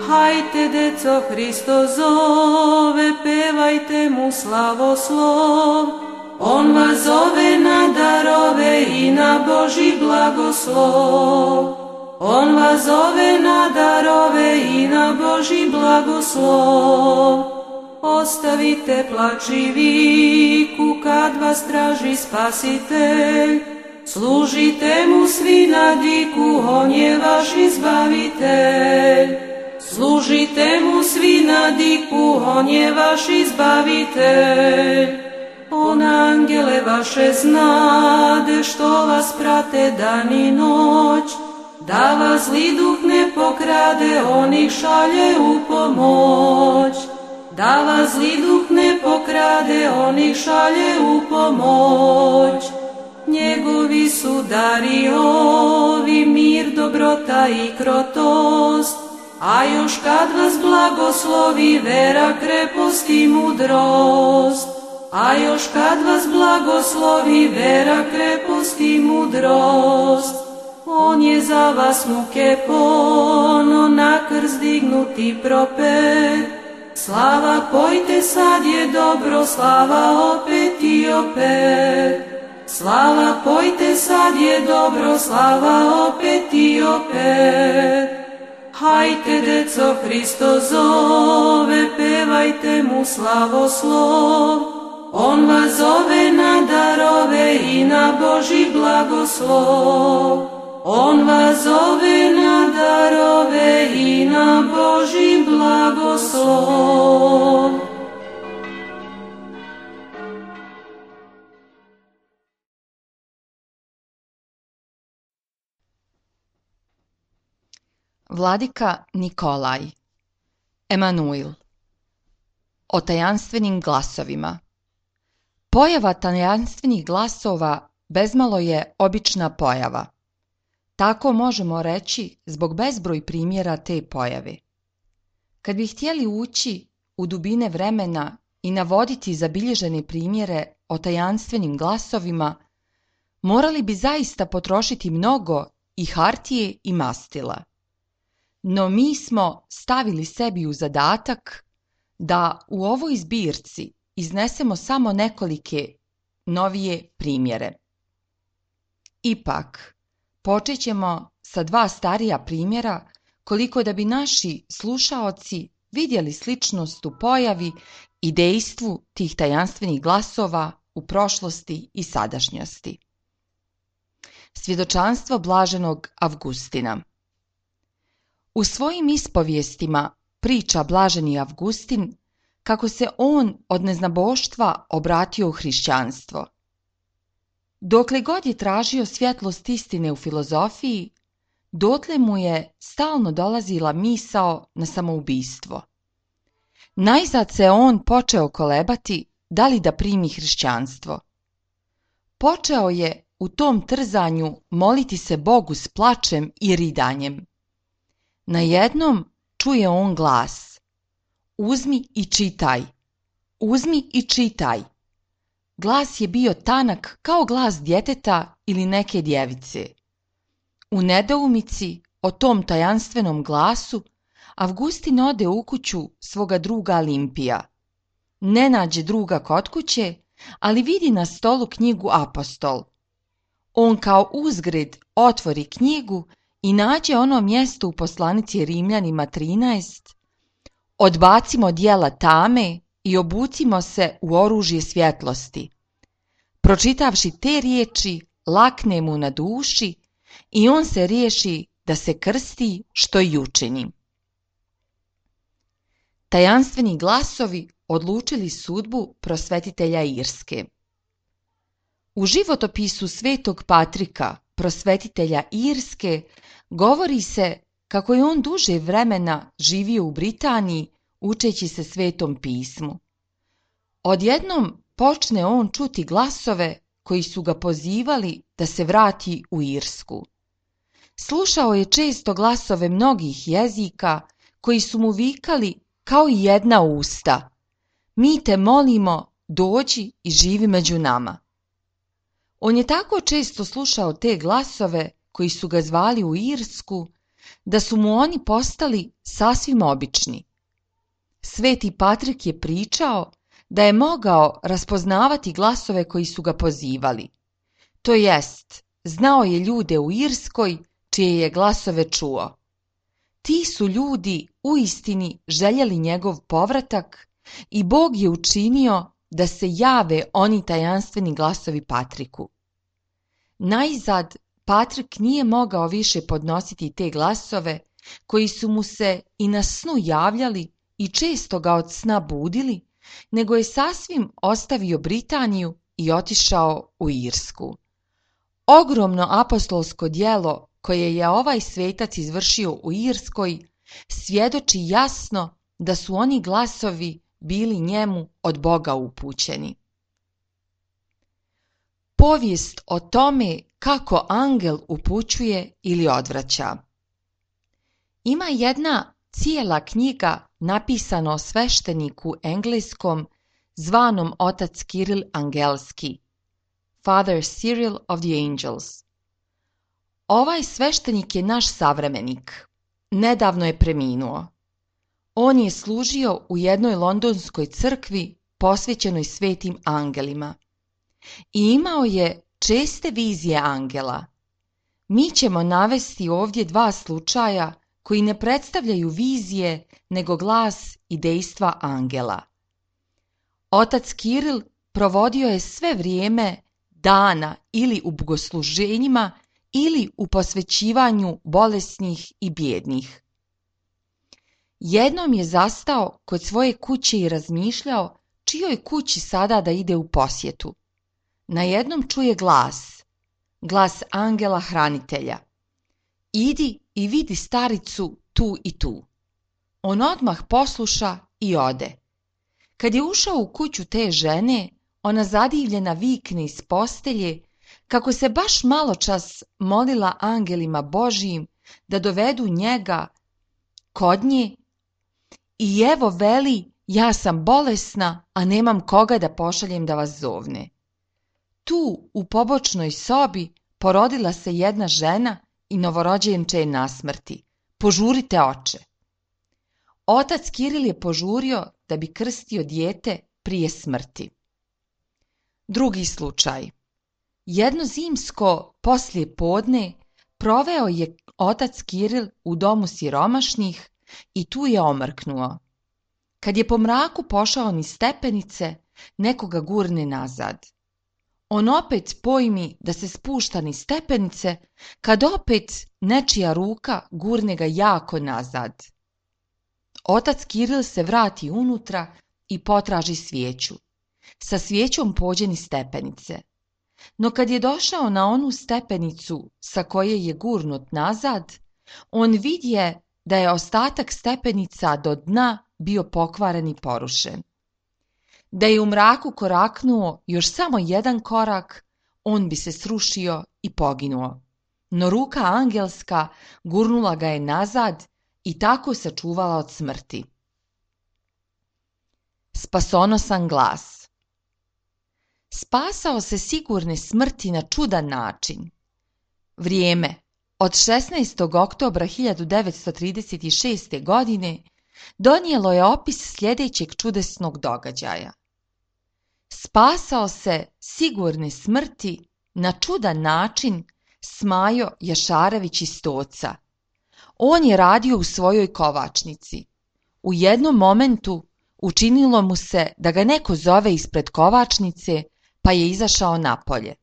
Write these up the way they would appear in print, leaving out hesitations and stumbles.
Hajte, deco, Hristo zove, pevajte mu slavoslov. On vas zove na darove i na Božji blagoslov. On vas zove na darove i na Božji blagoslov. Ostavite plač i viku kad vas traži Spasitelj. Služite mu svi na diku, on je vaš izbavitelj. Služite mu svi na diku, on je vaš izbavitelj. On angele vaše znade, što vas prate dan i noć, da vas zli duh ne pokrade, on ih šalje u pomoć. Da vas zli duh ne pokrade, on ih šalje u pomoć. Njegovi su dari ovi, mir, dobrota i krotost, a još kad vas blagoslovi vera, krepost i mudrost. A još kad vas blagoslovi vera, krepost i mudrost. On je za vas muke pono, na krst dignuti propet. Slava, pojte, sad je dobro, slava opet i opet. Slava, pojte, sad je dobro, slava opet i opet. Hajte, deco, Hristo zove, pevajte mu slavoslov. On vas zove na darove i na Božji blagoslov. On vas zove na darove i na Božji blagoslov. Vladika Nikolaj, Emanuil. O tajanstvenim glasovima. Pojava tajanstvenih glasova bezmalo je obična pojava. Tako možemo reći zbog bezbroj primjera te pojave. Kad bi htjeli ući u dubine vremena i navoditi zabilježene primjere o tajanstvenim glasovima, morali bi zaista potrošiti mnogo i hartije i mastila. No mi smo stavili sebi u zadatak da u ovoj zbirci iznesemo samo nekolike novije primjere. Ipak, počet ćemo sa 2 starija primjera, koliko da bi naši slušaoci vidjeli sličnost u pojavi i dejstvu tih tajanstvenih glasova u prošlosti i sadašnjosti. Svjedočanstvo blaženog Avgustina. U svojim ispovijestima priča blaženi Avgustin kako se on od neznaboštva obratio u hrišćanstvo. Dokle god je tražio svjetlost istine u filozofiji, dotle mu je stalno dolazila misao na samoubistvo. Najzad se on počeo kolebati da li da primi hrišćanstvo. Počeo je u tom trzanju moliti se Bogu s plačem i ridanjem. Najednom čuje on glas: uzmi i čitaj, uzmi i čitaj. Glas je bio tanak kao glas djeteta ili neke djevice. U nedoumici o tom tajanstvenom glasu, Avgustin ode u kuću svoga druga Limpija. Ne nađe druga kod kuće, ali vidi na stolu knjigu Apostol. On kao uzgred otvori knjigu i nađe ono mjesto u poslanici Rimljanima 13: odbacimo djela tame i obucimo se u oružje svjetlosti. Pročitavši te riječi, lakne mu na duši i on se riješi da se krsti, što i učini. Tajanstveni glasovi odlučili sudbu prosvetitelja Irske. U životopisu svetog Patrika, prosvetitelja Irske, govori se kako je on duže vremena živio u Britaniji učeći se Svetom pismu. Odjednom počne on čuti glasove koji su ga pozivali da se vrati u Irsku. Slušao je često glasove mnogih jezika koji su mu vikali kao i jedna usta: mi te molimo, dođi i živi među nama. On je tako često slušao te glasove koji su ga zvali u Irsku, da su mu oni postali sasvim obični. Sveti Patrik je pričao da je mogao raspoznavati glasove koji su ga pozivali. To jest, znao je ljude u Irskoj čije je glasove čuo. Ti su ljudi uistini željeli njegov povratak i Bog je učinio da se jave oni tajanstveni glasovi Patriku. Najzad, Patrik nije mogao više podnositi te glasove koji su mu se i na snu javljali i često ga od sna budili, nego je sasvim ostavio Britaniju i otišao u Irsku. Ogromno apostolsko djelo koje je ovaj svetac izvršio u Irskoj svjedoči jasno da su oni glasovi bili njemu od Boga upućeni. Povijest o tome kako angel upućuje ili odvraća. Ima jedna cijela knjiga napisana o svešteniku engleskom zvanom otac Kiril Angelski, Father Cyril of the Angels. Ovaj sveštenik je naš savremenik. Nedavno je preminuo. On je služio u jednoj londonskoj crkvi posvećenoj svetim angelima i imao je česte vizije angela. Mi ćemo navesti ovdje dva slučaja koji ne predstavljaju vizije, nego glas i dejstva angela. Otac Kiril provodio je sve vrijeme dana ili u bogosluženjima ili u posvećivanju bolesnih i bijednih. Jednom je zastao kod svoje kuće i razmišljao čijoj kući sada da ide u posjetu. Na jednom čuje glas angela hranitelja. Idi i vidi staricu tu i tu. On odmah posluša i ode. Kad je ušao u kuću te žene, ona zadivljena vikne iz postelje kako se baš maločas molila angelima Božijim da dovedu njega kod nje i evo veli, ja sam bolesna, a nemam koga da pošaljem da vas zovne. Tu u pobočnoj sobi porodila se jedna žena i novorođenče je na smrti. Požurite, oče. Otac Kiril je požurio da bi krstio dijete prije smrti. Drugi slučaj. Jedno zimsko poslije podne proveo je otac Kiril u domu siromašnih i tu je omrknuo. Kad je po mraku pošao niz stepenice, nekoga gurne nazad. On opet pojmi da se spušta niz stepenice, kad opet nečija ruka gurne ga jako nazad. Otac Kiril se vrati unutra i potraži svijeću. Sa svijećom pođe niz stepenice. No kad je došao na onu stepenicu sa koje je gurnut nazad, on vidje da je ostatak stepenica do dna bio pokvaren i porušen. Da je u mraku koraknuo još samo jedan korak, on bi se srušio i poginuo. No ruka angelska gurnula ga je nazad i tako sačuvala od smrti. Spasonosan glas. Spasao se sigurne smrti na čudan način. Vrijeme od 16. oktobra 1936. godine donijelo je opis sljedećeg čudesnog događaja. Spasao se sigurne smrti na čudan način Smajo Jašarević iz Stoca. On je radio u svojoj kovačnici. U jednom momentu učinilo mu se da ga neko zove ispred kovačnice, pa je izašao napolje.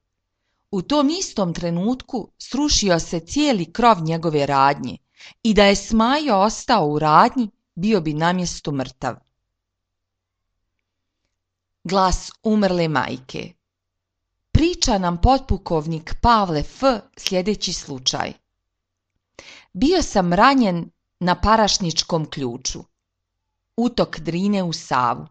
U tom istom trenutku srušio se cijeli krov njegove radnje i da je Smajo ostao u radnji, bio bi na mjestu mrtav. Glas umrle majke. Priča nam potpukovnik Pavle F. sljedeći slučaj. Bio sam ranjen na Parašničkom ključu. Utok Drine u Savu.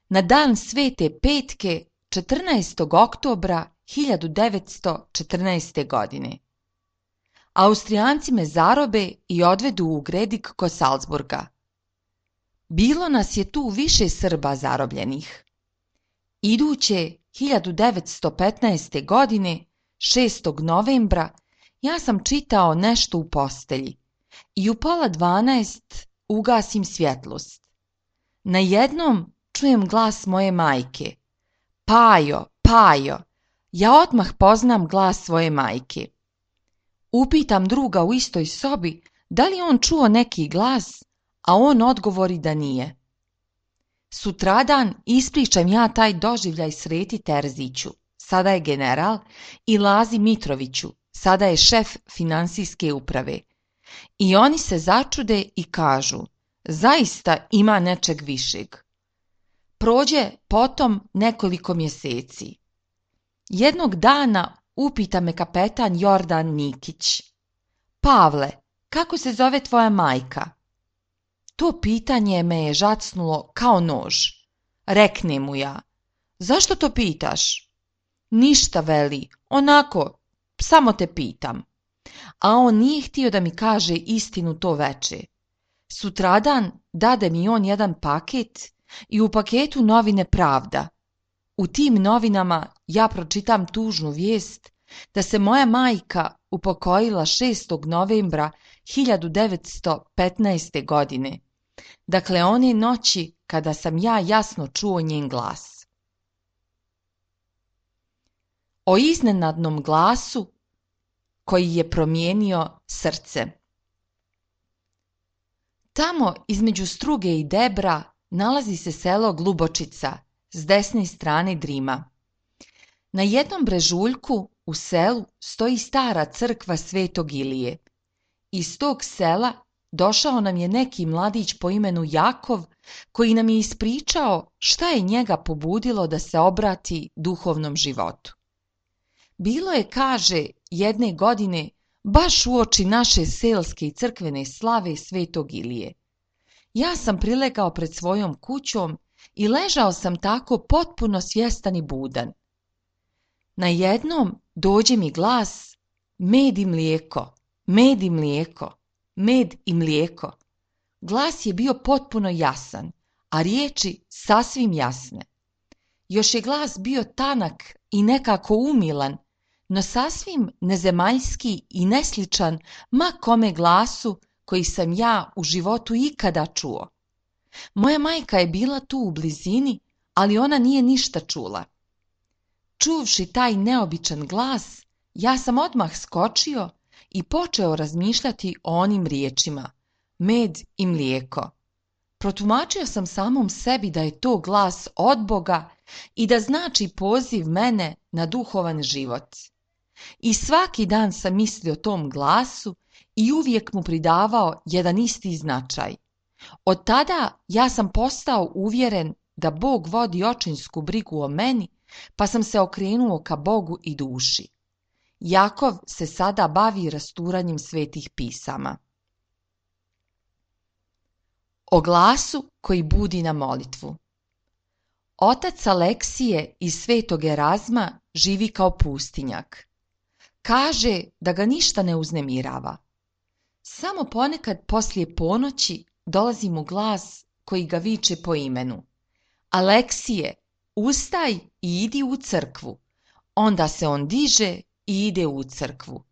Na dan Svete Petke 14. oktobra 1914. godine. Austrijanci me zarobe i odvedu u Gredik kod Salzburga. Bilo nas je tu više Srba zarobljenih. Iduće 1915. godine, 6. novembra, ja sam čitao nešto u postelji, i u 11:30 ugasim svjetlost. Najednom čujem glas moje majke. Pajo, Pajo, ja odmah poznam glas svoje majke. Upitam druga u istoj sobi da li on čuo neki glas, a on odgovori da nije. Sutradan ispričam ja taj doživljaj Sreti Terziću, sada je general, i Lazi Mitroviću, sada je šef finansijske uprave. I oni se začude i kažu, zaista ima nečeg višeg. Prođe potom nekoliko mjeseci. Jednog dana upita me kapetan Jordan Nikić. Pavle, kako se zove tvoja majka? To pitanje me je žacnulo kao nož. Rekne mu ja, zašto to pitaš? Ništa, veli, onako, samo te pitam. A on nije htio da mi kaže istinu to veče. Sutradan dade mi on jedan paket i u paketu novine Pravda. U tim novinama ja pročitam tužnu vijest da se moja majka upokojila 6. novembra 1915. godine. Dakle, one noći kada sam ja jasno čuo njen glas. O iznenadnom glasu koji je promijenio srce. Tamo između Struge i Debra nalazi se selo Glubočica s desne strane Drima. Na jednom brežuljku u selu stoji stara crkva Svetog Ilije. Iz tog sela došao nam je neki mladić po imenu Jakov koji nam je ispričao šta je njega pobudilo da se obrati duhovnom životu. Bilo je, kaže, jedne godine baš uoči naše selske i crkvene slave Svetog Ilije. Ja sam prilegao pred svojom kućom i ležao sam tako potpuno svjestan i budan. Najednom dođe mi glas, med i mlijeko, med i mlijeko, med i mlijeko. Glas je bio potpuno jasan, a riječi sasvim jasne. Još je glas bio tanak i nekako umilan, no sasvim nezemaljski i nesličan ma kome glasu koji sam ja u životu ikada čuo. Moja majka je bila tu u blizini, ali ona nije ništa čula. Čuvši taj neobičan glas, ja sam odmah skočio i počeo razmišljati o onim riječima, med i mlijeko. Protumačio sam samom sebi da je to glas od Boga i da znači poziv mene na duhovan život. I svaki dan sam mislio o tom glasu i uvijek mu pridavao jedan isti značaj. Od tada ja sam postao uvjeren da Bog vodi očinsku brigu o meni, pa sam se okrenuo ka Bogu i duši. Jakov se sada bavi rasturanjem svetih pisama. O glasu koji budi na molitvu. Otac Aleksije iz Svetog Erazma živi kao pustinjak. Kaže da ga ništa ne uznemirava. Samo ponekad poslije ponoći dolazi mu glas koji ga viče po imenu. Aleksije, ustaj i idi u crkvu. Onda se on diže i ide u crkvu.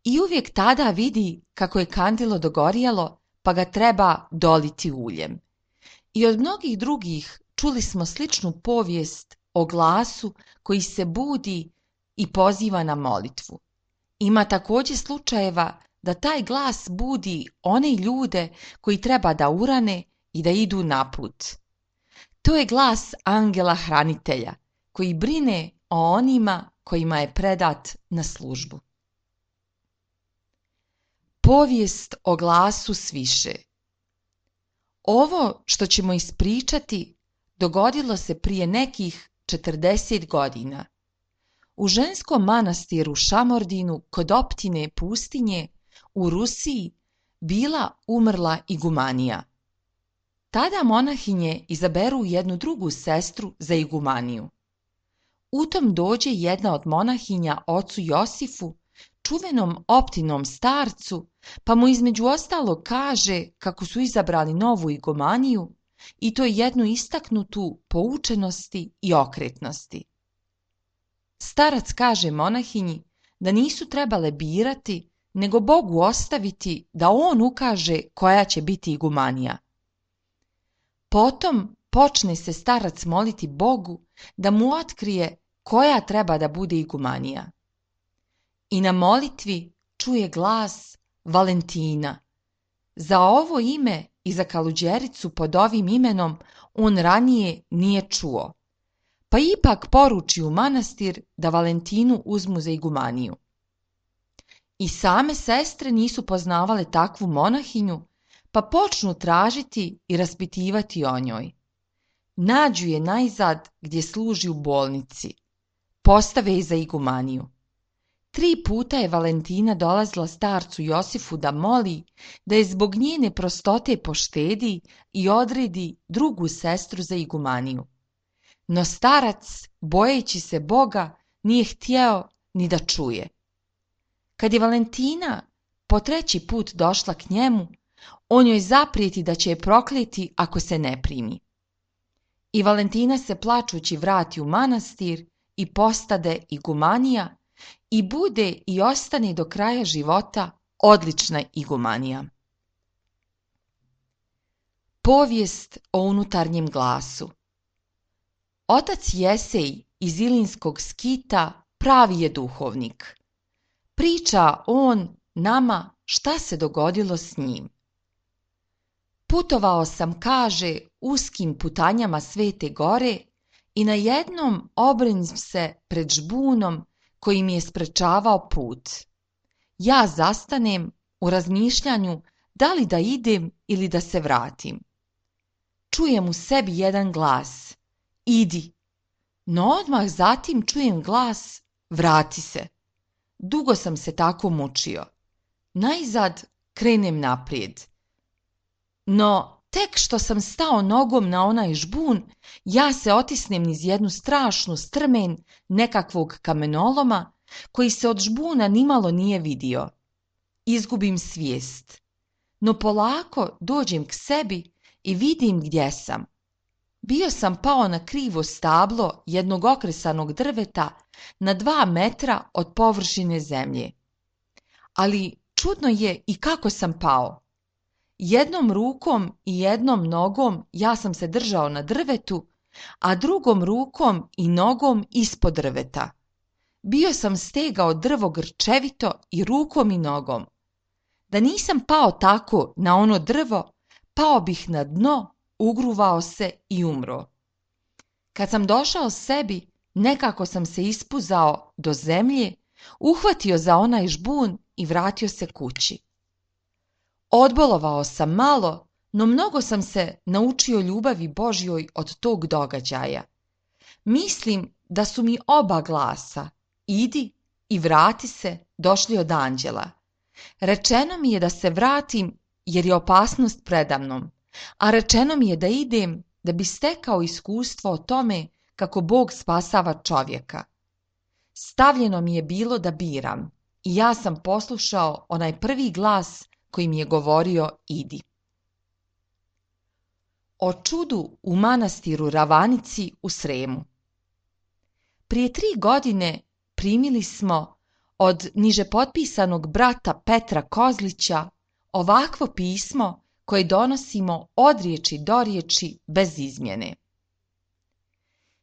I uvijek tada vidi kako je kandilo dogorjelo, pa ga treba doliti uljem. I od mnogih drugih čuli smo sličnu povijest o glasu koji se budi i poziva na molitvu. Ima također slučajeva da taj glas budi one ljude koji treba da urane i da idu naput. To je glas angela hranitelja koji brine o onima kojima je predat na službu. Povijest o glasu sviše. Ovo što ćemo ispričati dogodilo se prije nekih 40 godina. U ženskom manastiru Šamordinu kod optine Pustinje u Rusiji bila umrla igumanija. Tada monahinje izaberu jednu drugu sestru za igumaniju. U tom dođe jedna od monahinja ocu Josifu, čuvenom optinom starcu, pa mu između ostalog kaže kako su izabrali novu igumaniju i to jednu istaknutu po učenosti i okretnosti. Starac kaže monahinji da nisu trebale birati, nego Bogu ostaviti da on ukaže koja će biti igumanija. Potom počne se starac moliti Bogu da mu otkrije koja treba da bude igumanija. I na molitvi čuje glas Valentina. Za ovo ime i za Kaluđericu pod ovim imenom on ranije nije čuo, pa ipak poruči u manastir da Valentinu uzmu za igumaniju. I same sestre nisu poznavale takvu monahinju, pa počnu tražiti i raspitivati o njoj. Nađu je najzad gdje služi u bolnici. Postave je za igumaniju. 3 puta je Valentina dolazila starcu Josifu da moli da je zbog njene prostote poštedi i odredi drugu sestru za igumaniju. No starac, bojeći se Boga, nije htjeo ni da čuje. Kad je Valentina po 3. put došla k njemu, on joj zaprijeti da će je prokleti ako se ne primi. I Valentina se plačući vrati u manastir i postade igumanija i bude i ostane do kraja života odlična igumanija. Povijest o unutarnjem glasu. Otac Jesej iz Ilinskog skita pravi je duhovnik. Priča on nama šta se dogodilo s njim. Putovao sam, kaže, uskim putanjama Svete Gore i na jednom obrenim se pred žbunom koji mi je sprečavao put. Ja zastanem u razmišljanju da li da idem ili da se vratim. Čujem u sebi jedan glas: idi. No odmah zatim čujem glas: vrati se. Dugo sam se tako mučio. Najzad krenem naprijed. No tek što sam stao nogom na onaj žbun, ja se otisnem niz jednu strašnu strmen nekakvog kamenoloma koji se od žbuna nimalo nije vidio. Izgubim svijest. No polako dođem k sebi i vidim gdje sam. Bio sam pao na krivo stablo jednog okresanog drveta na 2 metra od površine zemlje. Ali čudno je i kako sam pao. Jednom rukom i jednom nogom ja sam se držao na drvetu, a drugom rukom i nogom ispod drveta. Bio sam stegao drvo grčevito i rukom i nogom. Da nisam pao tako na ono drvo, pao bih na dno, ugruvao se i umro. Kad sam došao sebi, nekako sam se ispuzao do zemlje, uhvatio za onaj žbun i vratio se kući. Odbolovao sam malo, no mnogo sam se naučio ljubavi Božjoj od tog događaja. Mislim da su mi oba glasa, idi i vrati se, došli od anđela. Rečeno mi je da se vratim jer je opasnost predamnom, a rečeno mi je da idem da bi stekao iskustvo o tome kako Bog spasava čovjeka. Stavljeno mi je bilo da biram i ja sam poslušao onaj prvi glas koji mi je govorio idi. O čudu u manastiru Ravanici u Sremu. Prije 3 godine primili smo od niže potpisanog brata Petra Kozlića ovakvo pismo koje donosimo od riječi do riječi bez izmjene.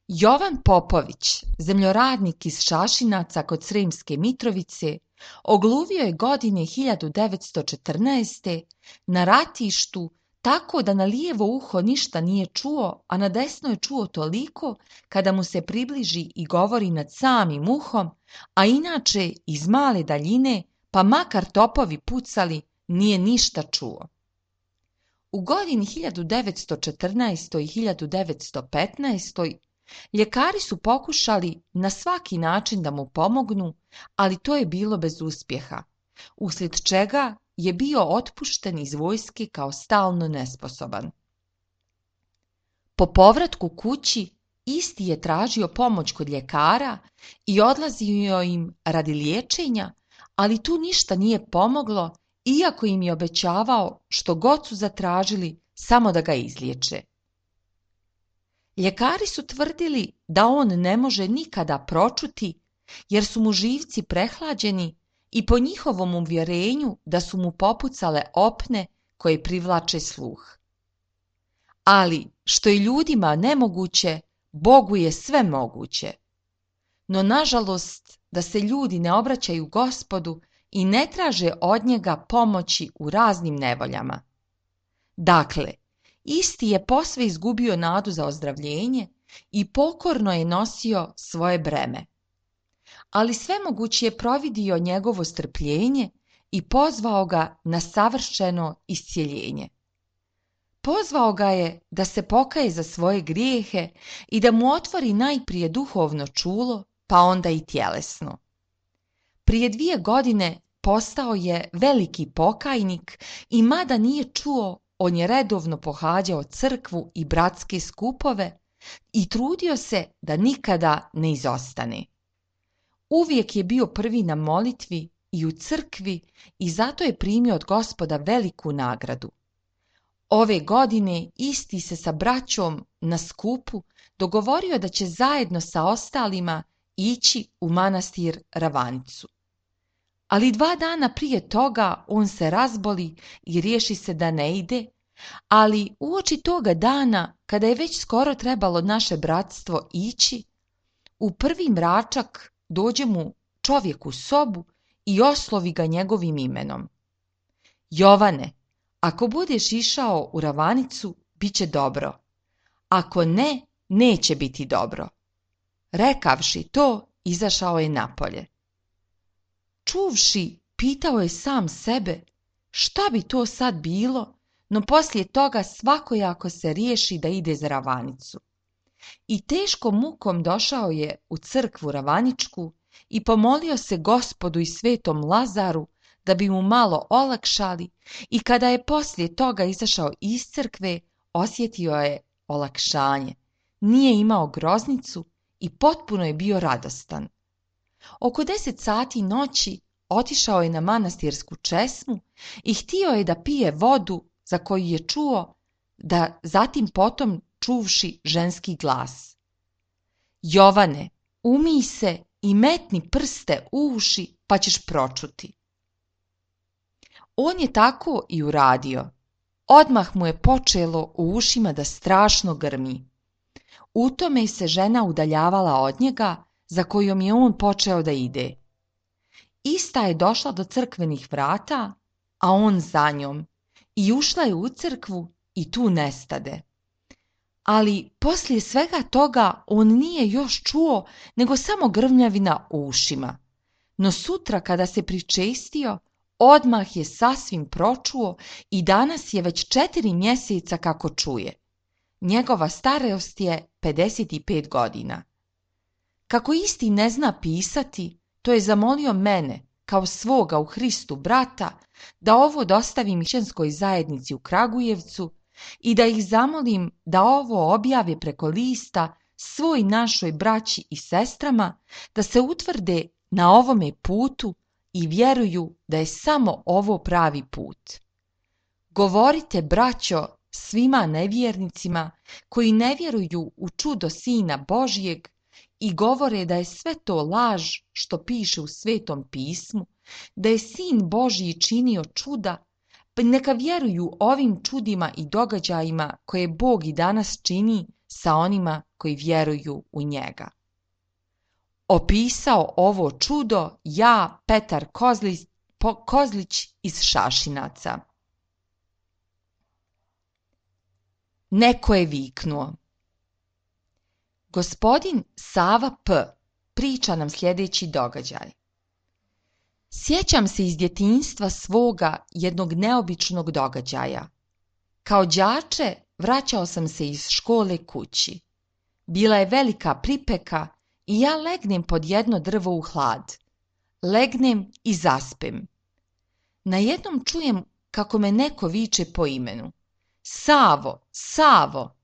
Jovan Popović, zemljoradnik iz Šašinaca kod Sremske Mitrovice, ogluvio je godine 1914. na ratištu tako da na lijevo uho ništa nije čuo, a na desno je čuo toliko kada mu se približi i govori nad samim uhom, a inače iz male daljine, pa makar topovi pucali, nije ništa čuo. U godini 1914. i 1915. ljekari su pokušali na svaki način da mu pomognu, ali to je bilo bez uspjeha, uslijed čega je bio otpušten iz vojske kao stalno nesposoban. Po povratku kući isti je tražio pomoć kod ljekara i odlazio im radi liječenja, ali tu ništa nije pomoglo, iako im je obećavao što god su zatražili samo da ga izliječe. Ljekari su tvrdili da on ne može nikada pročuti jer su mu živci prehlađeni i po njihovom uvjerenju da su mu popucale opne koje privlače sluh. Ali što je ljudima nemoguće, Bogu je sve moguće. No nažalost da se ljudi ne obraćaju Gospodu i ne traže od njega pomoći u raznim nevoljama. Dakle, isti je posve izgubio nadu za ozdravljenje i pokorno je nosio svoje breme. Ali svemogući je providio njegovo strpljenje i pozvao ga na savršeno iscjeljenje. Pozvao ga je da se pokaje za svoje grijehe i da mu otvori najprije duhovno čulo, pa onda i tjelesno. Prije 2 godine postao je veliki pokajnik i mada nije čuo, on je redovno pohađao crkvu i bratske skupove i trudio se da nikada ne izostane. Uvijek je bio prvi na molitvi i u crkvi i zato je primio od Gospoda veliku nagradu. Ove godine isti se sa braćom na skupu dogovorio da će zajedno sa ostalima ići u manastir Ravanicu. Ali 2 dana prije toga on se razboli i riješi se da ne ide, ali uoči toga dana, kada je već skoro trebalo naše bratstvo ići, u prvi mračak dođe mu čovjek u sobu i oslovi ga njegovim imenom. Jovane, ako budeš išao u Ravanicu, bit će dobro. Ako ne, neće biti dobro. Rekavši to, izašao je napolje. Čuvši, pitao je sam sebe šta bi to sad bilo, no poslije toga svakojako se riješi da ide za Ravanicu. I teškom mukom došao je u crkvu Ravaničku i pomolio se Gospodu i svetom Lazaru da bi mu malo olakšali i kada je poslije toga izašao iz crkve, osjetio je olakšanje. Nije imao groznicu i potpuno je bio radostan. Oko 10 sati noći otišao je na manastirsku česmu i htio je da pije vodu za koju je čuo, da zatim potom čuvši ženski glas. Jovane, umij se i metni prste u uši pa ćeš pročuti. On je tako i uradio. Odmah mu je počelo u ušima da strašno grmi. U tome se žena udaljavala od njega, za kojom je on počeo da ide. Ista je došla do crkvenih vrata, a on za njom, i ušla je u crkvu i tu nestade. Ali poslije svega toga on nije još čuo nego samo grmljavina u ušima. No sutra kada se pričestio, odmah je sasvim pročuo i danas je već 4 mjeseca kako čuje. Njegova starost je 55 godina. Kako isti ne zna pisati, to je zamolio mene, kao svoga u Hristu brata, da ovo dostavim mišljenskoj zajednici u Kragujevcu i da ih zamolim da ovo objave preko lista svoj našoj braći i sestrama, da se utvrde na ovome putu i vjeruju da je samo ovo pravi put. Govorite, braćo, svima nevjernicima koji ne vjeruju u čudo Sina Božjeg i govore da je sve to laž što piše u Svetom pismu, da je Sin Božji činio čuda, pa neka vjeruju ovim čudima i događajima koje Bog i danas čini sa onima koji vjeruju u njega. Opisao ovo čudo ja, Petar Kozlić iz Šašinaca. Neko je viknuo. Gospodin Sava P. priča nam sljedeći događaj. Sjećam se iz djetinjstva svoga jednog neobičnog događaja. Kao đače vraćao sam se iz škole kući. Bila je velika pripeka i ja legnem pod jedno drvo u hlad. Legnem i zaspem. Najednom čujem kako me neko viče po imenu. Savo, Savo!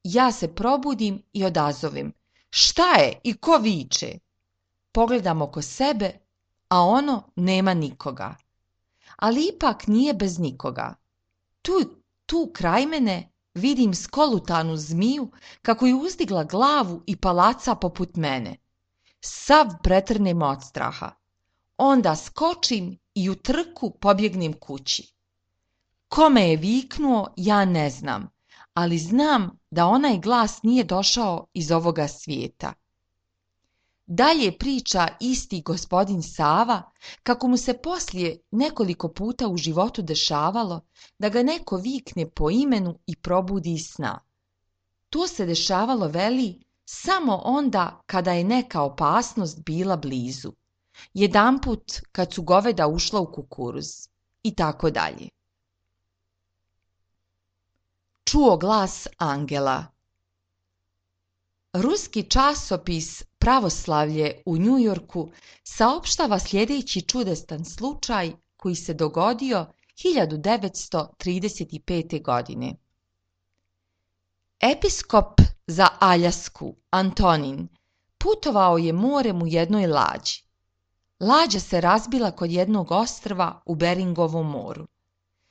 Ja se probudim i odazovem. Šta je i ko viče? Pogledam oko sebe, a ono nema nikoga. Ali ipak nije bez nikoga. Tu kraj mene vidim skolutanu zmiju kako je uzdigla glavu i palaca poput mene. Sav pretrnem od straha. onda skočim i u trku pobjegnem kući. Kome je viknuo, ja ne znam, ali znam da onaj glas nije došao iz ovoga svijeta. Dalje priča isti gospodin Sava kako mu se poslije nekoliko puta u životu dešavalo da ga neko vikne po imenu i probudi iz sna. To se dešavalo, veli, samo onda kada je neka opasnost bila blizu. Jedanput kad su goveda ušla u kukuruz i tako dalje. Čuo glas angela. Ruski časopis Pravoslavlje u Njujorku saopštava sljedeći čudestan slučaj koji se dogodio 1935. godine. Episkop za Aljasku, Antonin, putovao je morem u jednoj lađi. Lađa se razbila kod jednog ostrva u Beringovom moru.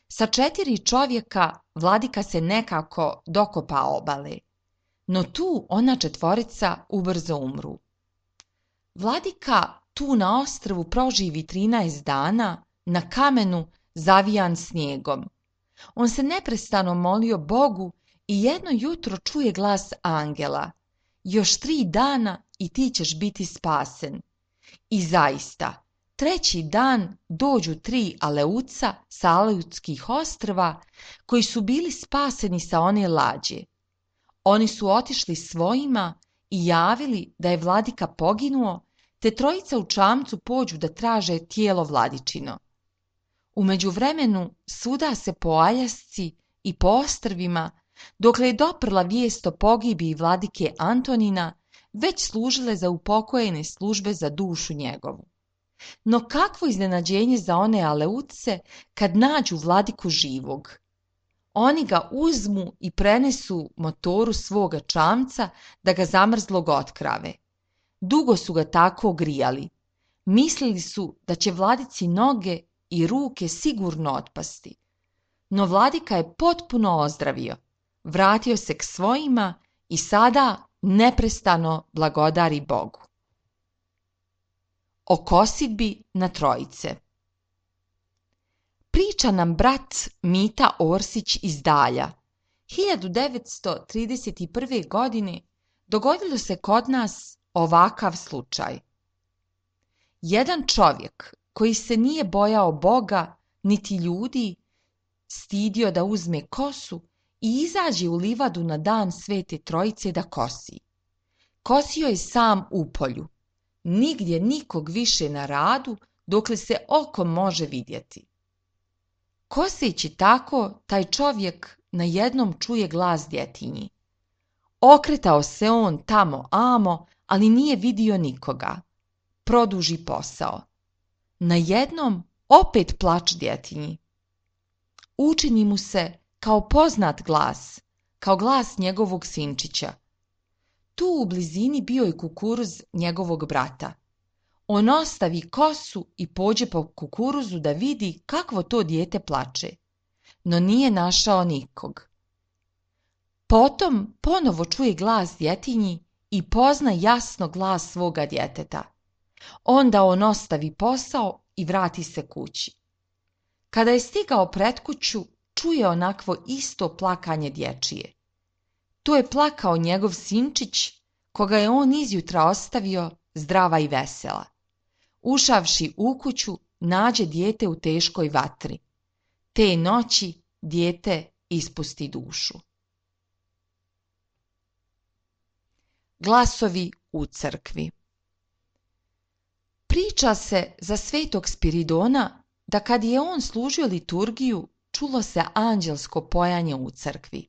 Sa 4 čovjeka vladika se nekako dokopa obale, no tu ona 4 ubrzo umru. Vladika tu na ostrvu proživi 13 dana na kamenu zavijan snijegom. On se neprestano molio Bogu i jedno jutro čuje glas angela: još 3 dana i ti ćeš biti spasen. I zaista, 3. dan dođu 3 Aleuca sa Aleutskih ostrva koji su bili spaseni sa one lađe. Oni su otišli svojima i javili da je vladika poginuo, te 3 u čamcu pođu da traže tijelo vladičino. U međuvremenu svuda se po Aljasci i po ostrvima, dokle je doprla vijest o pogibiji vladike Antonina, već služile za upokojene službe za dušu njegovu. No kakvo iznenađenje za one Aleuce kad nađu vladiku živog. Oni ga uzmu i prenesu motoru svoga čamca da ga zamrzlog otkrave. Dugo su ga tako grijali. Mislili su da će vladici noge i ruke sigurno otpasti. No vladika je potpuno ozdravio, vratio se k svojima i sada neprestano blagodari Bogu. O kosidbi na trojice. Priča nam brat Mita Orsić iz Dalja. 1931. godine dogodilo se kod nas ovakav slučaj. Jedan čovjek koji se nije bojao Boga niti ljudi, stidio da uzme kosu i izađe u livadu na dan Svete Trojice da kosi. Kosio je sam u polju, nigdje nikog više na radu, dokle se oko može vidjeti. Koseći tako, taj čovjek najednom čuje glas djetinji. Okretao se on tamo amo, ali nije vidio nikoga. Produži posao. Najednom opet plač djetinji. Učini mu se kao poznat glas, kao glas njegovog sinčića. Tu u blizini bio je kukuruz njegovog brata. On ostavi kosu i pođe po kukuruzu da vidi kakvo to dijete plače, no nije našao nikog. Potom ponovo čuje glas djetinji i pozna jasno glas svoga djeteta. Onda on ostavi posao i vrati se kući. Kada je stigao pred kuću, čuje onakvo isto plakanje dječije. To je plakao njegov sinčić, koga je on izjutra ostavio zdrava i vesela. Ušavši u kuću, nađe dijete u teškoj vatri. Te noći dijete ispusti dušu. Glasovi u crkvi. Priča se za svetog Spiridona da kad je on služio liturgiju, čulo se anđelsko pojanje u crkvi.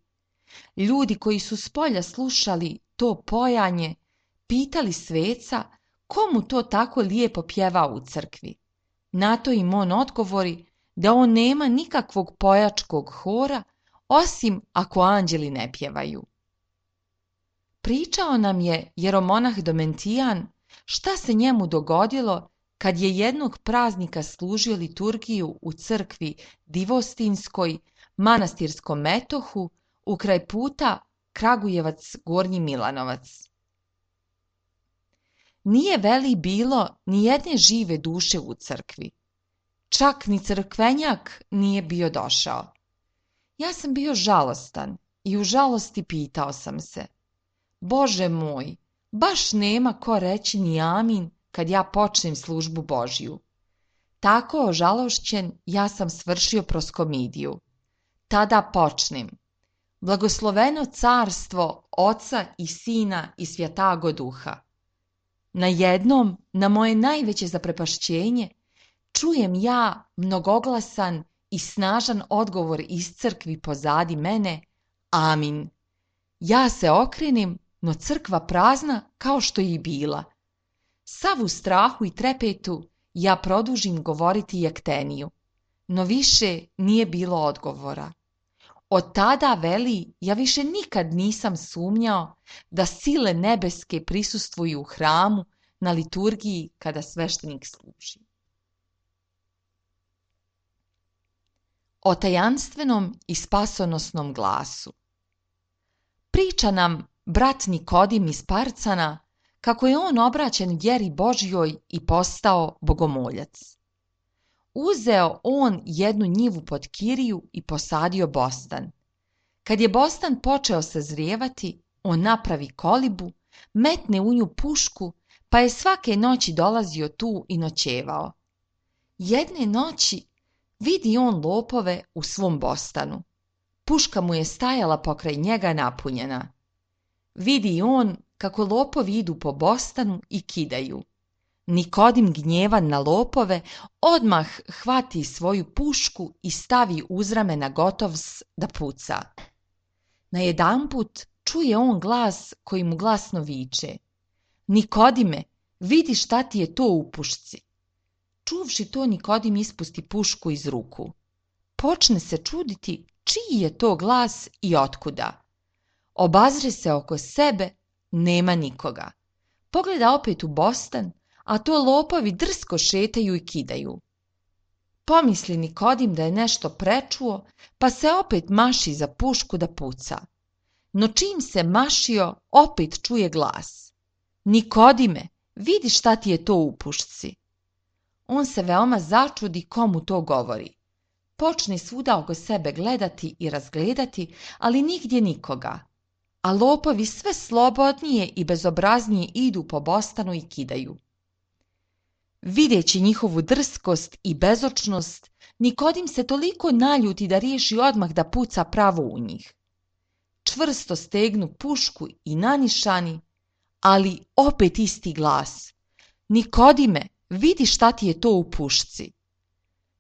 Ljudi koji su spolja slušali to pojanje, pitali sveca komu to tako lijepo pjeva u crkvi. Na to im on odgovori da on nema nikakvog pojačkog hora, osim ako anđeli ne pjevaju. Pričao nam je jeromonah Domentijan šta se njemu dogodilo kad je jednog praznika služio liturgiju u crkvi Divostinskoj, manastirskom metohu, ukraj puta Kragujevac-Gornji Milanovac. nije veli bilo ni jedne žive duše u crkvi. Čak ni crkvenjak nije bio došao. Ja sam bio žalostan i u žalosti pitao sam se: Bože moj, baš nema ko reći ni amin kad ja počnem službu Božju. Tako ožalošćen ja sam svršio proskomidiju. Tada počnem: Blagosloveno carstvo Oca i Sina i Svjatago Duha. Najednom, na moje najveće zaprepašćenje, čujem ja mnogoglasan i snažan odgovor iz crkvi pozadi mene: Amin. Ja se okrenem, no crkva prazna kao što je i bila. Sav u strahu i trepetu ja produžim govoriti jekteniju, no više nije bilo odgovora. Od tada, veli, ja više nikad nisam sumnjao da sile nebeske prisustvuju u hramu na liturgiji kada sveštenik služi. O tajanstvenom i spasonosnom glasu. Priča nam brat Nikodim iz Parcana kako je on obraćen vjeri Božjoj i postao bogomoljac. Uzeo on jednu njivu pod kiriju i posadio bostan. Kad je bostan počeo sazrijevati, on napravi kolibu, metne u nju pušku, pa je svake noći dolazio tu i noćevao. Jedne noći vidi on lopove u svom bostanu. Puška mu je stajala pokraj njega napunjena. Vidi on kako lopovi idu po bostanu i kidaju. Nikodim, gnjevan na lopove, odmah hvati svoju pušku i stavi uz ramena gotov da puca. Najedanput čuje on glas koji mu glasno viče: Nikodime, vidi šta ti je to u pušci. Čuvši to, Nikodim ispusti pušku iz ruku. Počne se čuditi čiji je to glas i otkuda. Obazre se oko sebe, nema nikoga. Pogleda opet u bostan, a to lopovi drsko šetaju i kidaju. Pomisli Nikodim da je nešto prečuo, pa se opet maši za pušku da puca. No čim se mašio, opet čuje glas: Nikodime, vidi šta ti je to u pušci. On se veoma začudi komu to govori. Počne svuda oko sebe gledati i razgledati, ali nigdje nikoga. A lopovi sve slobodnije i bezobraznije idu po bostanu i kidaju. Videći njihovu drskost i bezočnost, Nikodim se toliko naljuti da riješi odmah da puca pravo u njih. Čvrsto stegnu pušku i nanišani, ali opet isti glas: Nikodime, vidi šta ti je to u pušci.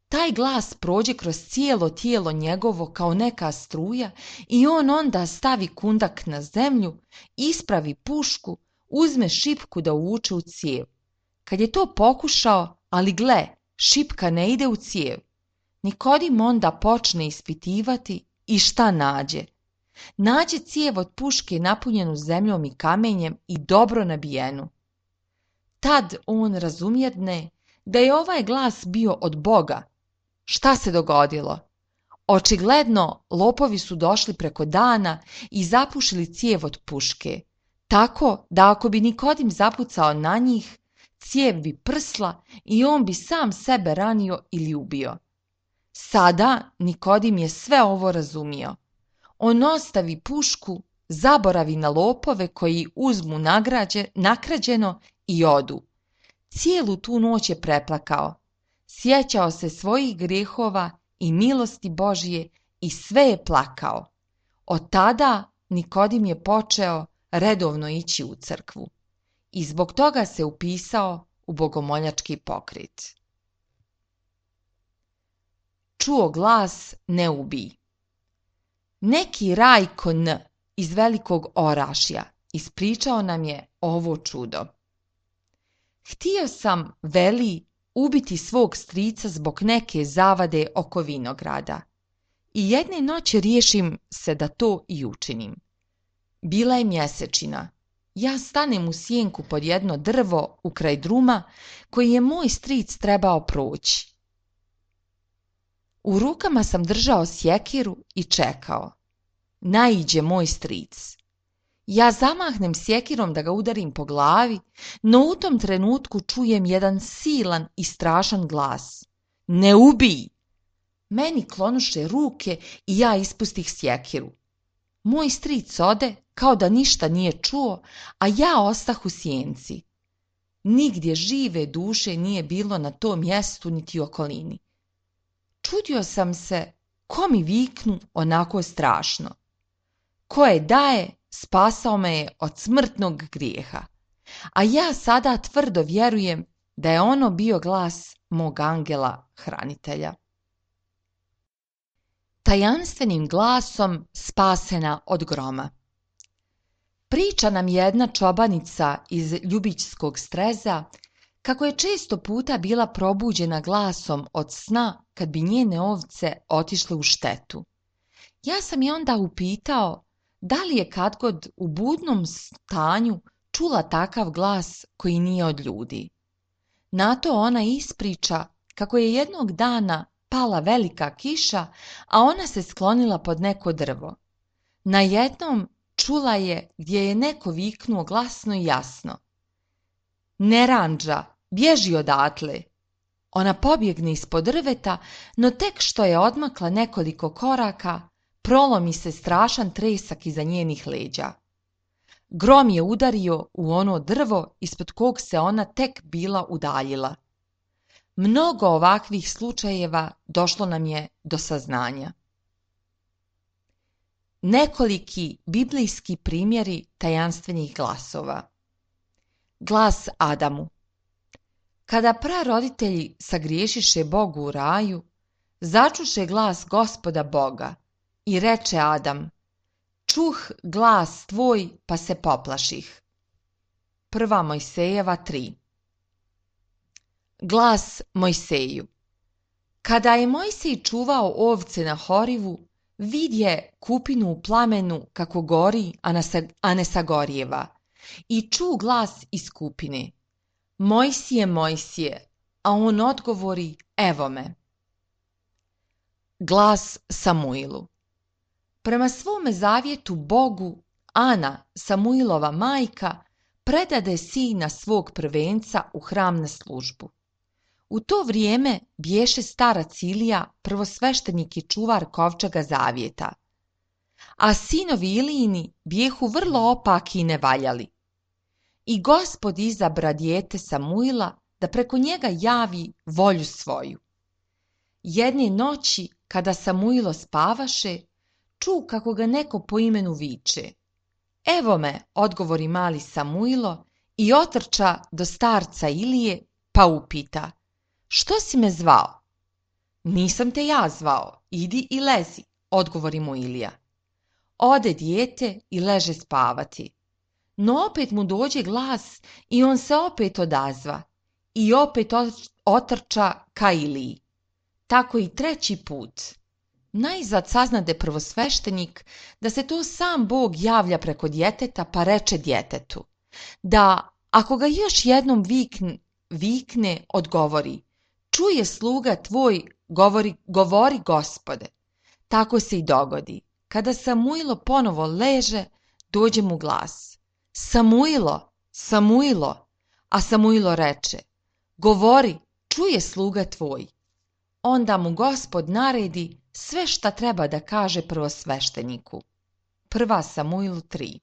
Taj glas prođe kroz cijelo tijelo njegovo kao neka struja i on onda stavi kundak na zemlju, ispravi pušku, uzme šipku da uvuče u cijev. Kad je to pokušao, ali gle, šipka ne ide u cijev. Nikodim onda počne ispitivati i šta nađe? Nađe cijev od puške napunjenu zemljom i kamenjem i dobro nabijenu. Tad on razumjedne da je ovaj glas bio od Boga. Šta se dogodilo? Očigledno lopovi su došli preko dana i zapušili cijev od puške, tako da ako bi Nikodim zapucao na njih, cijev bi prsla i on bi sam sebe ranio ili ubio. Sada Nikodim je sve ovo razumio. On ostavi pušku, zaboravi na lopove koji uzmu nakrađeno i odu. Cijelu tu noć je preplakao. Sjećao se svojih grijehova i milosti Božje i sve je plakao. Od tada Nikodim je počeo redovno ići u crkvu i zbog toga se upisao u bogomoljački pokret. Čuo glas: ne ubij. Neki Rajko N. iz Velikog Orašja ispričao nam je ovo čudo. Htio sam, veli, ubiti svog strica zbog neke zavade oko vinograda. I jedne noći riješim se da to i učinim. Bila je mjesečina. Ja stanem u sjenku pod jedno drvo ukraj druma koji je moj stric trebao proći. U rukama sam držao sjekiru i čekao. Naiđe moj stric. Ja zamahnem sjekirom da ga udarim po glavi, no u tom trenutku čujem jedan silan i strašan glas. Ne ubij! Meni klonuše ruke i ja ispustih sjekiru. Moj stric ode kao da ništa nije čuo, a ja ostah u sjenci. Nigdje žive duše nije bilo na tom mjestu niti okolini. Čudio sam se ko mi viknu onako strašno. Ko je daje, spasao me je od smrtnog grijeha. A ja sada tvrdo vjerujem da je ono bio glas mog angela hranitelja. Tajanstvenim glasom spasena od groma. Priča nam jedna čobanica iz Ljubičskog Streza kako je često puta bila probuđena glasom od sna kad bi njene ovce otišle u štetu. Ja sam je onda upitao da li je kadgod u budnom stanju čula takav glas koji nije od ljudi. Na to ona ispriča kako je jednog dana pala velika kiša, a ona se sklonila pod neko drvo. Najednom čula je gdje je neko viknuo glasno i jasno. Neranđa, bježi odatle! Ona pobjegne ispod drveta, no tek što je odmakla nekoliko koraka, prolomi se strašan tresak iza njenih leđa. Grom je udario u ono drvo ispod kog se ona tek bila udaljila. Mnogo ovakvih slučajeva došlo nam je do saznanja. Nekoliki biblijski primjeri tajanstvenih glasova. Glas Adamu. Kada praroditelji sagriješiše Bogu u raju, začuše glas Gospoda Boga i reče Adam, čuh glas tvoj pa se poplaših. 1. Mojsejeva 3. Glas Mojseju. Kada je Mojsej čuvao ovce na Horivu, vidje kupinu u plamenu kako gori, a ne sagorjeva, i ču glas iz kupine. Mojsije, Mojsije, a on odgovori, evo me. Glas Samuilu. Prema svome zavjetu Bogu, Ana, Samuilova majka, predade sina svog prvenca u hram na službu. U to vrijeme bješe starac Ilija prvosveštenik i čuvar kovčega zavjeta, a sinovi Ilijini bjehu vrlo opaki i nevaljali. I Gospod izabra dijete Samuila da preko njega javi volju svoju. Jedne noći, kada Samuilo spavaše, ču kako ga neko po imenu viče. Evo me, odgovori mali Samuilo i otrča do starca Ilije, pa upita, što si me zvao? Nisam te ja zvao, idi i lezi, odgovori mu Ilija. Ode dijete i leže spavati. No opet mu dođe glas i on se opet odazva i opet otrča ka Iliji. Tako i treći put. Najzad saznade prvosveštenik da se to sam Bog javlja preko djeteta, pa reče djetetu da ako ga još jednom vikne, odgovori, čuje sluga tvoj, govori Gospode. Tako se i dogodi. Kada Samuilo ponovo leže, dođe mu glas. Samuilo, Samuilo, a Samuilo reče, govori, čuje sluga tvoj. Onda mu Gospod naredi sve šta treba da kaže prvosvešteniku. 1. Samuil 3.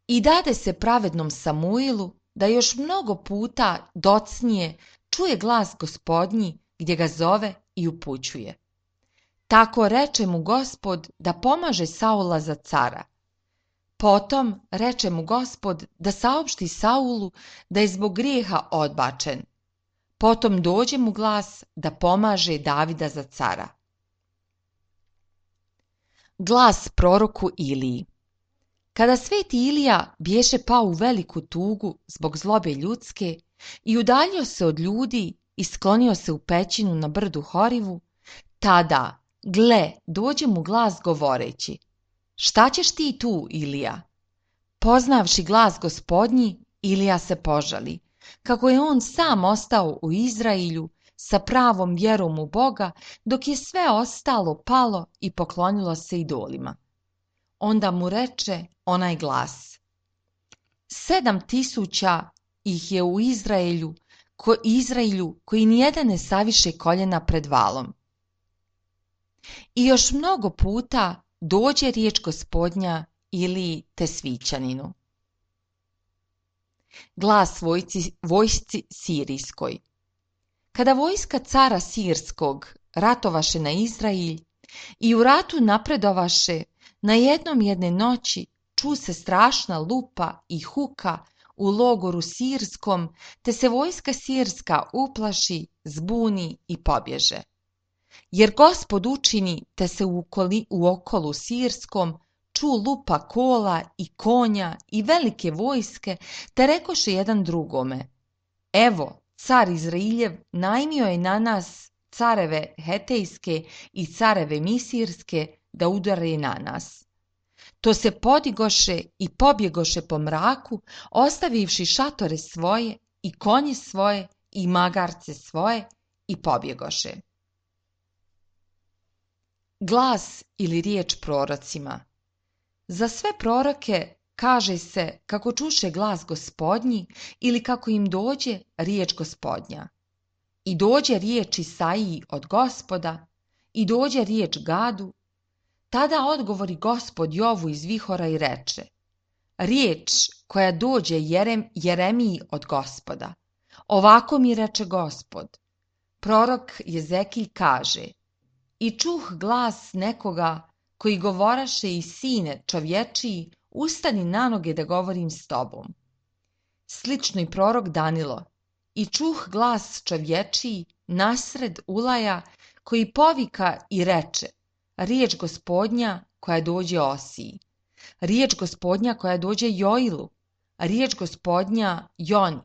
I dade se pravednom Samuilu da još mnogo puta docnije čuje glas Gospodnji gdje ga zove i upućuje. Tako reče mu Gospod da pomaže Saula za cara. Potom reče mu Gospod da saopšti Saulu da je zbog grijeha odbačen. Potom dođe mu glas da pomaže Davida za cara. Glas proroku Iliji. Kada sveti Ilija bješe pao u veliku tugu zbog zlobe ljudske i udaljio se od ljudi i sklonio se u pećinu na brdu Horivu, tada, gle, dođe mu glas govoreći, šta ćeš ti tu, Ilija? Poznavši glas Gospodnji, Ilija se požali, kako je on sam ostao u Izrailju sa pravom vjerom u Boga, dok je sve ostalo palo i poklonilo se idolima. Onda mu reče onaj glas: 7.000 ih je u Izraelju koji nijedan ne saviše koljena pred valom. I još mnogo puta dođe riječ Gospodnja ili Tesvićaninu. Glas vojsci sirijskoj. Kada vojska cara Sirskog ratovaše na Izrael i u ratu napredovaše, na jedne noći ču se strašna lupa i huka u logoru sirskom, te se vojska sirska uplaši, zbuni i pobježe. Jer Gospod učini, te se u okolu sirskom ču lupa kola i konja i velike vojske, te rekoše jedan drugome: evo, car Izrailjev najmio je na nas careve hetejske i careve misirske da udare na nas. To se podigoše i pobjegoše po mraku, ostavivši šatore svoje i konje svoje i magarce svoje i pobjegoše. Glas ili riječ prorocima. Za sve proroke kaže se kako čuše glas Gospodnji ili kako im dođe riječ Gospodnja. I dođe riječ Isaiji od Gospoda, i dođe riječ Gadu. Tada odgovori Gospod Jovu iz vihora i reče: riječ koja dođe Jeremiji od Gospoda. Ovako mi reče Gospod. Prorok Jezekilj kaže: i čuh glas nekoga koji govoraše: i sine čovječiji, ustani na noge da govorim s tobom. Slično i prorok Danilo: i čuh glas čovječiji nasred ulaja koji povika i reče: riječ Gospodnja koja dođe Osiji, riječ Gospodnja koja dođe Joilu, riječ Gospodnja Joni,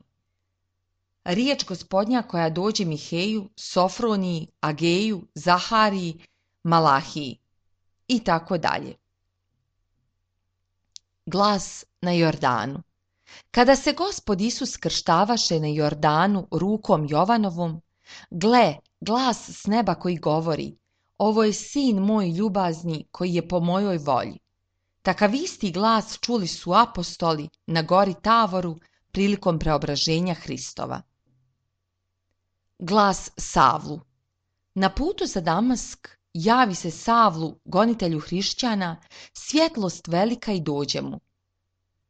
riječ Gospodnja koja dođe Miheju, Sofroniji, Ageju, Zahariji, Malahiji i tako dalje. Glas na Jordanu. Kada se Gospod Isus krštavaše na Jordanu rukom Jovanovom, gle, glas s neba koji govori: ovo je sin moj ljubazni koji je po mojoj volji. Takav isti glas čuli su apostoli na gori Tavoru prilikom preobraženja Hristova. Glas Savlu. Na putu za Damask javi se Savlu, gonitelju hrišćana, svjetlost velika i dođe mu.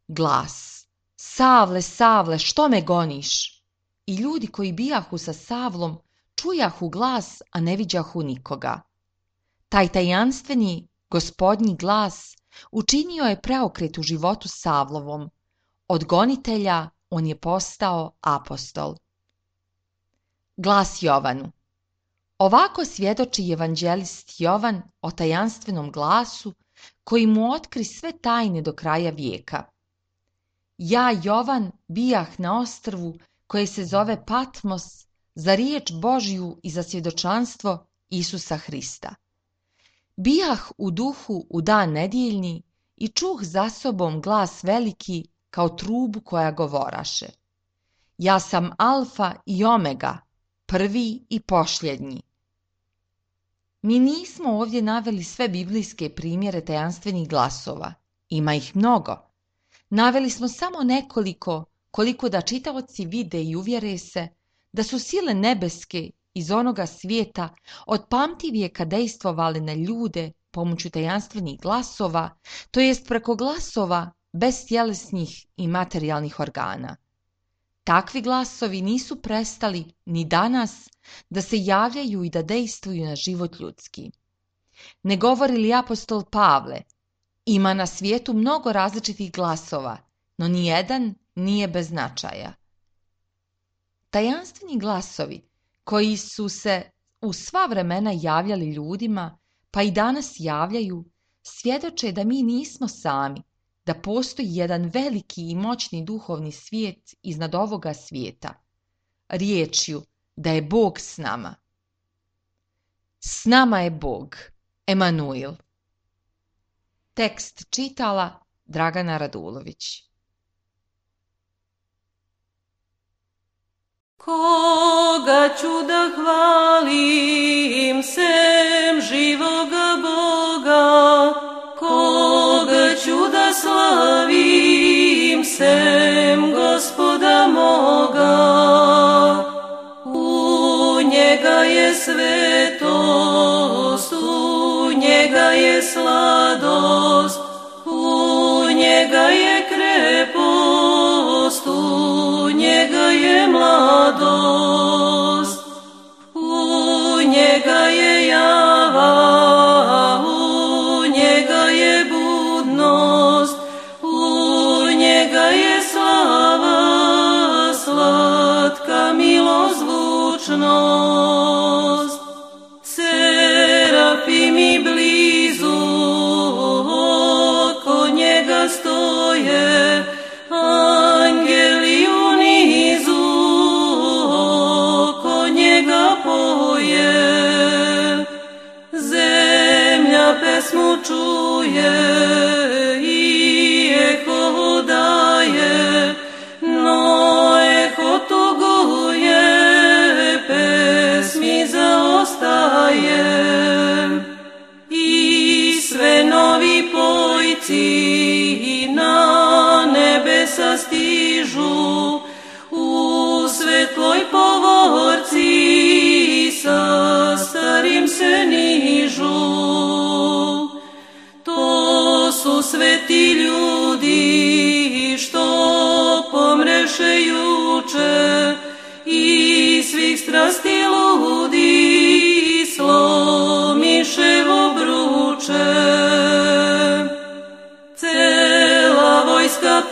Glas: Savle, Savle, što me goniš? I ljudi koji bijahu sa Savlom čujahu glas, a ne viđahu nikoga. Taj tajanstveni Gospodnji glas učinio je preokret u životu Savlovom. Od gonitelja on je postao apostol. Glas Jovanu. Ovako svjedoči evanđelist Jovan o tajanstvenom glasu koji mu otkri sve tajne do kraja vijeka. Ja, Jovan, bijah na ostrvu koje se zove Patmos za riječ Božju i za svjedočanstvo Isusa Hrista. Bijah u duhu u dan nedjeljni i čuh za sobom glas veliki kao trubu koja govoraše: ja sam Alfa i Omega, prvi i posljednji. Mi nismo ovdje naveli sve biblijske primjere tajanstvenih glasova. Ima ih mnogo. Naveli smo samo nekoliko, koliko da čitaoci vide i uvjere se da su sile nebeske iz onoga svijeta od pamtivijeka dejstvovale na ljude pomoću tajanstvenih glasova, to jest preko glasova bez tjelesnih i materijalnih organa. Takvi glasovi nisu prestali ni danas da se javljaju i da dejstvuju na život ljudski. Ne govori li apostol Pavle: ima na svijetu mnogo različitih glasova, no nijedan nije bez značaja. Tajanstveni glasovi koji su se u sva vremena javljali ljudima, pa i danas javljaju, svjedoče da mi nismo sami, da postoji jedan veliki i moćni duhovni svijet iznad ovoga svijeta. Riječju da je Bog s nama. S nama je Bog, Emanuil. Tekst čitala Dragana Radulović. Koga ću da hvalim sem živoga Boga, koga njega je sladost, u njega je krepost, u njega je mladost, u njega je java, u njega je budnost, u njega je slava, slatka milozvučnost. Serafimi blizu oko njega stoje, angeli u nizu oko njega poje. Zemlja pesmu čuje i eho daje, no eho tuguje, pesmi zaostaje. I sve novi pojci na nebesa stižu, u svetloj povorci sa starim se nižu. To su sveti ljudi što pomreše juče, i svih strasti ludi slomiše obruče. Cela vojska